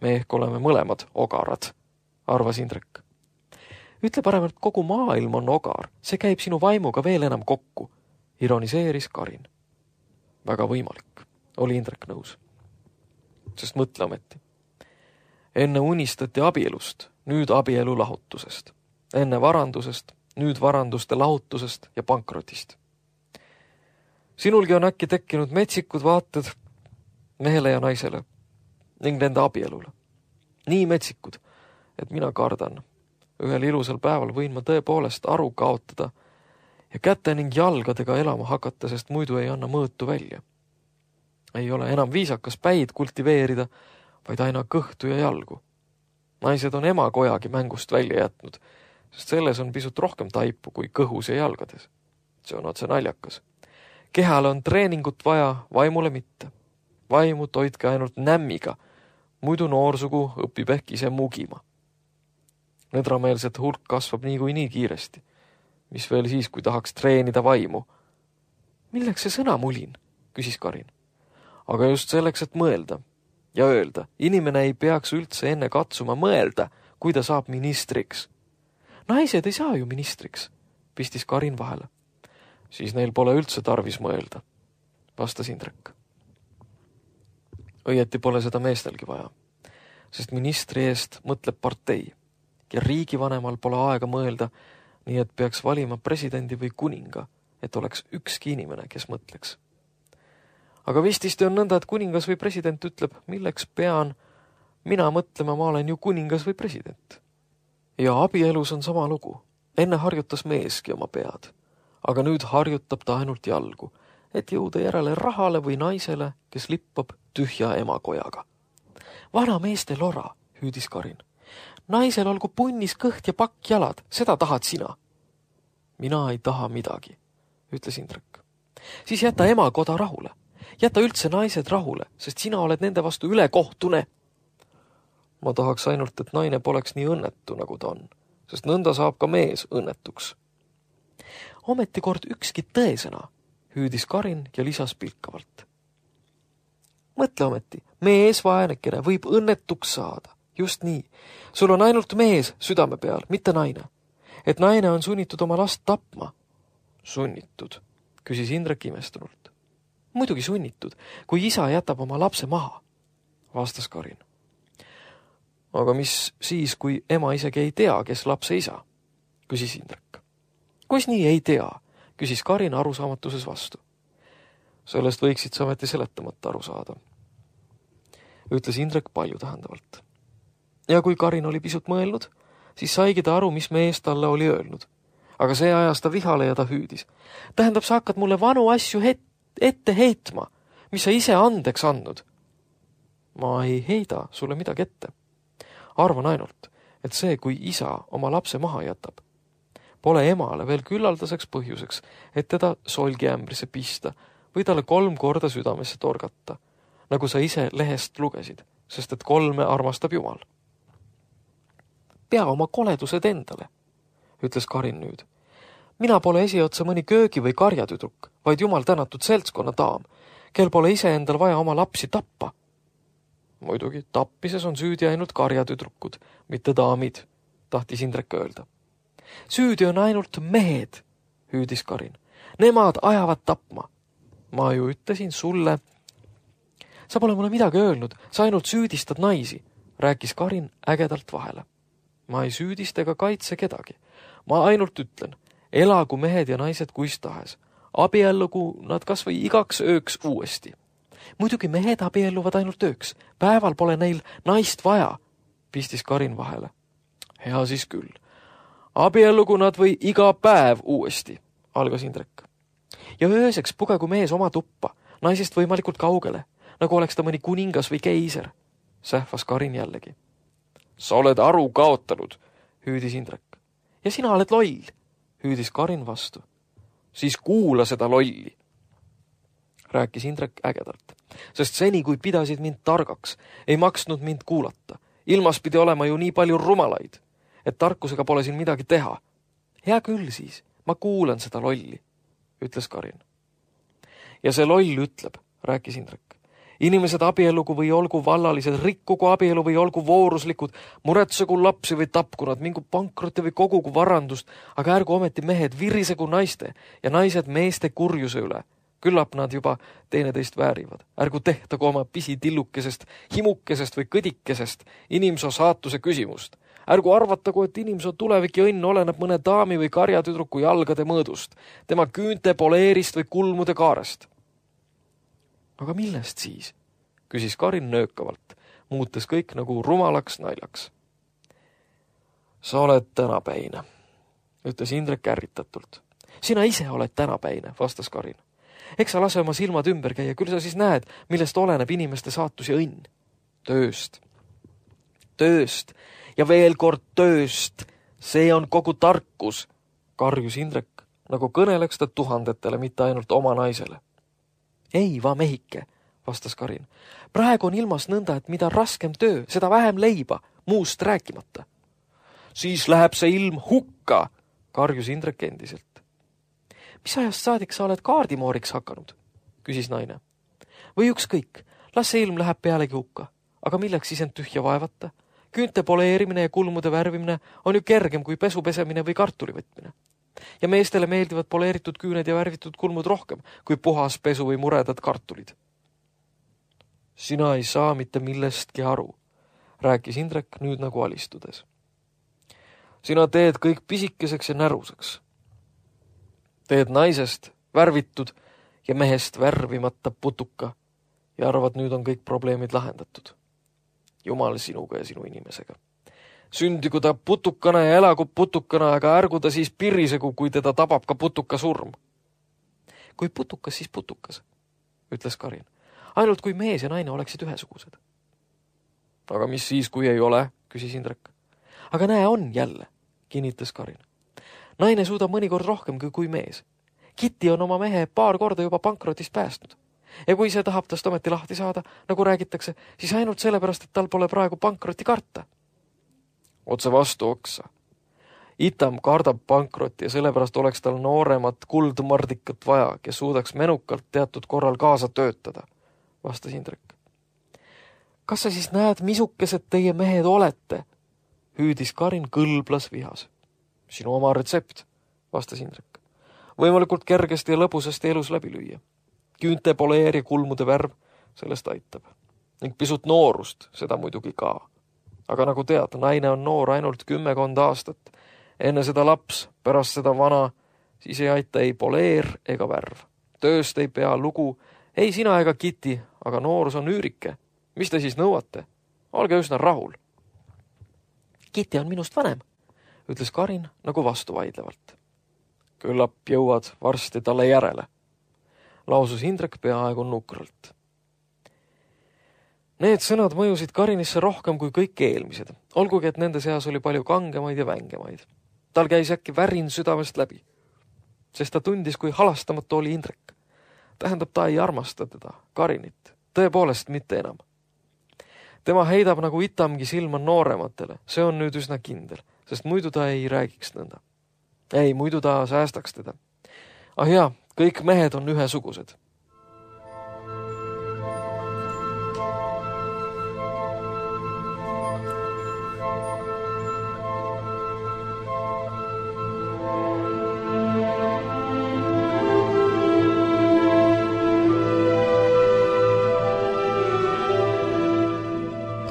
Me ehk oleme mõlemad ogarad, arvas Indrek. Ütle parem, et kogu maailm on ogar, see käib sinu vaimuga veel enam kokku, ironiseeris Karin. Väga võimalik, oli Indrek nõus. Sest mõtle ometi. Enne unistati abielust, nüüd abielu lahutusest. Enne varandusest, nüüd varanduste lahutusest ja pankrotist. Sinulgi on äkki tekkinud metsikud vaated mehele ja naisele ning nende abielule. Nii metsikud, et mina kardan. Ühel ilusal päeval võin ma tõepoolest aru kaotada ja käte ning jalgadega elama hakata, sest muidu ei anna mõõtu välja. Ei ole enam viisakas päid kultiveerida, vaid aina kõhtu ja jalgu. Naised on emakojagi mängust välja jätnud, sest selles on pisut rohkem taipu kui kõhus ja jalgades. See on otse naljakas. Kehale on treeningut vaja, vaimule mitte. Vaimu toitke ainult nämmiga, muidu noorsugu õpib ehk ise mugima. Nõdrameelset hulk kasvab nii kiiresti. Mis veel siis, kui tahaks treenida vaimu? Milleks see sõna mulin? Küsis Karin. Aga just selleks, et mõelda ja öelda. Inimene ei peaks üldse enne katsuma mõelda, kui ta saab ministriks. Naised ei saa ju ministriks, pistis Karin vahele. Siis neil pole üldse tarvis mõelda, vastas Indrek. Õieti pole seda meestelgi vaja, sest ministri eest mõtleb partei ja riigivanemal pole aega mõelda, nii et peaks valima presidendi või kuninga, et oleks ükski inimene, kes mõtleks. Aga vististi on nõnda, et kuningas või president ütleb, milleks pean mina mõtlema, ma olen ju kuningas või president. Ja abielus on sama lugu. Enne harjutas meeski oma pead, aga nüüd harjutab ta ainult jalgu, et jõuda järele rahale või naisele, kes lippab tühja emakojaga. Vana meeste lora, hüüdis Karin. Naisel olgu punnis kõht ja pakk jalad, seda tahad sina. Mina ei taha midagi, ütles Indrek. Siis jäta emakoda rahule. Jäta üldse naised rahule, sest sina oled nende vastu ülekohtune. Ma tahaks ainult, et naine poleks nii õnnetu, nagu ta on, sest nõnda saab ka mees õnnetuks. Ometi kord ükski tõesõna, hüüdis Karin ja lisas pilkavalt. Mõtle ometi, mees vaenekene võib õnnetuks saada. Just nii. Sul on ainult mees südame peal, mitte naine. Et naine on sunnitud oma last tapma. Sunnitud, küsis Indrek imestunult. Muidugi sunnitud, kui isa jätab oma lapse maha, vastas Karin. Aga mis siis, kui ema isegi ei tea, kes lapse isa, küsis Indrek. Kus nii ei tea, küsis Karin arusaamatuses vastu. Sellest võiksid sa ometi seletamata aru saada, ütles Indrek palju tähendavalt. Ja kui Karin oli pisut mõelnud, siis saigi ta aru, mis mees talle oli öelnud. Aga see ajas ta vihale ja ta hüüdis. Tähendab, sa hakkad mulle vanu asju ette heitma, mis sa ise andeks andnud. Ma ei heida sulle midagi ette. Arvan ainult, et see, kui isa oma lapse maha jätab, pole emale veel küllaldaseks põhjuseks, et teda solgiämbrisse pista või talle 3 korda südamesse torgata, nagu sa ise lehest lugesid, sest et 3 armastab Jumal. Pea oma koledused endale, ütles Karin nüüd. Mina pole esiotsa mõni köögi või karjatüdruk, vaid Jumal tänatud seltskonna daam, kel pole ise endal vaja oma lapsi tappa. Muidugi, tappises on süüdi ainult karjatüdrukud, mitte daamid, tahtis Indrek öelda. Süüdi on ainult mehed, hüüdis Karin. Nemad ajavad tapma. Ma ju ütlesin sulle. Sa pole mulle midagi öelnud, sa ainult süüdistad naisi, rääkis Karin ägedalt vahele. Ma ei süüdista ega kaitse kedagi. Ma ainult ütlen, elagu mehed ja naised kuis tahes. Abiellugu nad kas või igaks ööks uuesti. Muidugi mehed abielluvad ainult ööks. Päeval pole neil naist vaja, pistis Karin vahele. Hea siis küll. Abiellugu nad või iga päev uuesti, algas Indrek. Ja ööseks pugegu mees oma tuppa, naisest võimalikult kaugele, nagu oleks ta mõni kuningas või keiser, sähvas Karin jällegi. Sa oled aru kaotanud, hüüdis Indrek. Ja sina oled loll, hüüdis Karin vastu. Siis kuula seda lolli, rääkis Indrek ägedalt, sest seni, kui pidasid mind targaks, ei maksnud mind kuulata. Ilmas pidi olema ju nii palju rumalaid, et tarkusega pole siin midagi teha. Hea küll siis, ma kuulan seda lolli, ütles Karin. Ja see loll ütleb, rääkis Indrek. Inimesed abiellugu või olgu vallalised, rikkugu abielu või olgu vooruslikud, muretsegu lapsi või tapku nad, mingu pankrotti või kogugu varandust, aga ärgu ometi mehed virisegu naiste ja naised meeste kurjuse üle. Küllap nad juba teineteist väärivad. Ärgu tehtagu oma pisitillukesest, himukesest või kõdikesest inimsoo saatuse küsimust. Ärgu arvatagu, et inimsoo tulevik ja õnn oleneb mõne daami või karjatüdruku jalgade mõõdust, tema küünte poleerist või kulmude kaarest. Aga millest siis? Küsis Karin nöökavalt, muutes kõik nagu rumalaks naljaks. Sa oled tänapäine, ütles Indrek ärritatult. Sina ise oled tänapäine, vastas Karin. Eks sa lase oma silmad ümber käia, küll sa siis näed, millest oleneb inimeste saatus ja õnn. Tööst. Tööst ja veel kord tööst. See on kogu tarkus, karjus Indrek nagu kõneleks ta tuhandetele, mitte ainult oma naisele. Ei, va mehike, vastas Karin. Praegu on ilmas nõnda, et mida raskem töö, seda vähem leiba, muust rääkimata. Siis läheb see ilm hukka, karjus Indrek endiselt. Mis ajast saadik sa oled kaardimooriks hakanud, küsis naine. Või ükskõik, las see ilm läheb pealegi hukka, aga milleks siis end tühja vaevata? Küünte poleerimine ja kulmude värvimine on ju kergem kui pesu pesemine või kartuli võtmine. Ja meestele meeldivad poleeritud küüned ja värvitud kulmud rohkem kui puhas pesu või muredad kartulid. Sina ei saa mitte millestki aru, rääkis Indrek nüüd nagu alistudes. Sina teed kõik pisikeseks ja näruseks. Teed naisest värvitud ja mehest värvimata putuka ja arvad, nüüd on kõik probleemid lahendatud. Jumal sinuga ja sinu inimesega. Sündigu ta putukana ja elagu putukana, aga ärgu ta siis pirisegu, kui teda tabab ka putuka surm. Kui putukas, siis putukas, ütles Karin. Ainult kui mees ja naine oleksid ühesugused. Aga mis siis, kui ei ole, küsis Indrek. Aga näe, on jälle, kinnitas Karin. Naine suudab mõnikord rohkem kui mees. Kitty on oma mehe paar korda juba pankrotist päästnud. Ja kui see tahab tast ometi lahti saada, nagu räägitakse, siis ainult sellepärast, et tal pole praegu pankroti karta. Otse vastu oksa. Itam kardab pankrotti ja sellepärast oleks tal nooremat kuldmardikat vaja, kes suudaks menukalt teatud korral kaasa töötada, vastas Indrek. Kas sa siis näed, misukesed teie mehed olete? Hüüdis Karin kõlblas vihas. Sinu oma retsept, vastas Indrek. Võimalikult kergesti ja lõbusasti elus läbi lüüa. Küünte poleer ja kulmude värv, sellest aitab. Ning pisut noorust, seda muidugi ka. Aga nagu tead, naine on noor ainult 10 aastat. Enne seda laps, pärast seda vana, siis ei aita ei poleer ega värv. Tööst ei pea lugu, ei sina ega Kitty, aga noorus on üürike. Mis te siis nõuate? Olge üsna rahul. Kitty on minust vanem, ütles Karin nagu vastuvaidlevalt. Küllap jõuad varsti talle järele, lausus Indrek peaaegu nukralt. Need sõnad mõjusid Karinisse rohkem kui kõik eelmised, olgugi et nende seas oli palju kangemaid ja vängemaid. Tal käis äkki värin südamest läbi, sest ta tundis, kui halastamatu oli Indrek. Tähendab, ta ei armasta teda, Karinit, tõepoolest mitte enam. Tema heidab nagu Itamgi silma noorematele, see on nüüd üsna kindel, sest muidu ta ei räägiks nõnda. Ei, muidu ta säästaks teda. Ah jaa, kõik mehed on ühesugused.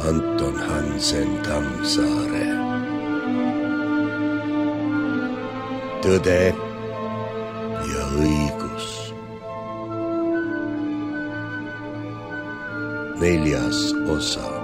Anton Hansen Tammsaare. Tõde ja õigus. 4. osa.